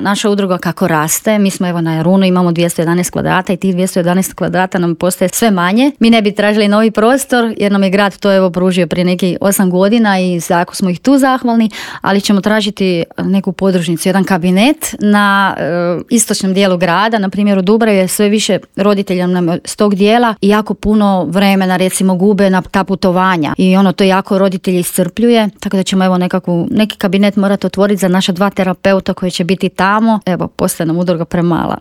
Naša udruga kako raste, mi smo evo na Jarunu, imamo 211 kvadrata i tih 211 kvadrata nam postaje sve manje. Mi ne bi tražili novi prostor jer nam je grad to evo pružio prije nekih 8 godina i jako smo ih tu zahvalni, ali ćemo tražiti neku podružnicu, jedan kabinet na istočnom dijelu grada, na primjer u Dubravi je sve više roditelja nam s tog dijela i jako puno vremena recimo gube na ta putovanja i to jako roditelji iscrpljuje, tako da ćemo evo neki kabinet morati otvoriti za naša 2 terapeuta koji će biti tamo. Evo, postaje nam udruga premala.